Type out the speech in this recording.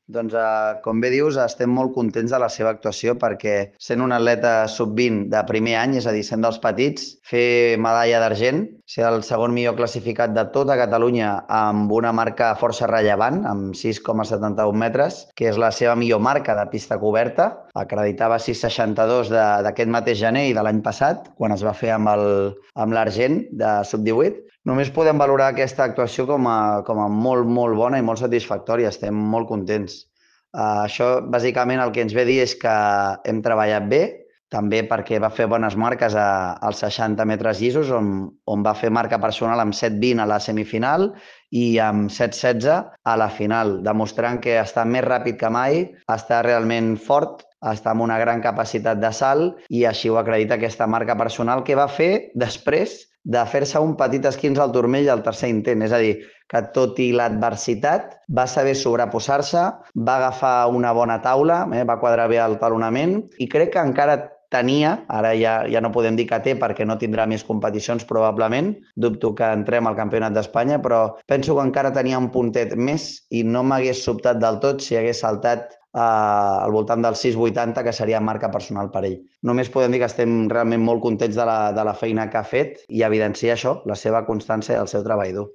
Doncs, com bé dius, estem molt contents de la seva actuació perquè sent un atleta sub-20 de primer any, és a dir, sent dels petits, fer medalla d'argent, ser el segon millor classificat de tota Catalunya amb una marca força rellevant, amb 6,71 metres, que és la seva millor marca de pista coberta, acreditava 6,62 d'aquest mateix gener i de l'any passat, quan es va fer amb l'argent de sub-18. Només podem valorar aquesta actuació com a molt, molt bona i molt satisfactòria. Estem molt contents. Això, bàsicament, el que ens ve a dir és que hem treballat bé, també perquè va fer bones marques als 60 metres llisos, on va fer marca personal amb 7,20 a la semifinal i amb 7,16 a la final, demostrant que està més ràpid que mai, està realment fort, està amb una gran capacitat de salt i així ho acredita aquesta marca personal que va fer després de fer-se un petit esquinç al turmell al tercer intent. És a dir, que tot i l'adversitat va saber sobreposar-se, va agafar una bona taula, va quadrar bé el talonament i crec que encara tenia, ara ja no podem dir que té perquè no tindrà més competicions probablement, dubto que entrem al Campionat d'Espanya, però penso que encara tenia un puntet més i no m'hagués sobtat del tot si hagués saltat al voltant del 6,80, que seria marca personal per ell. Només podem dir que estem realment molt contents de la feina que ha fet i evidencia això, la seva constància i el seu treball dur.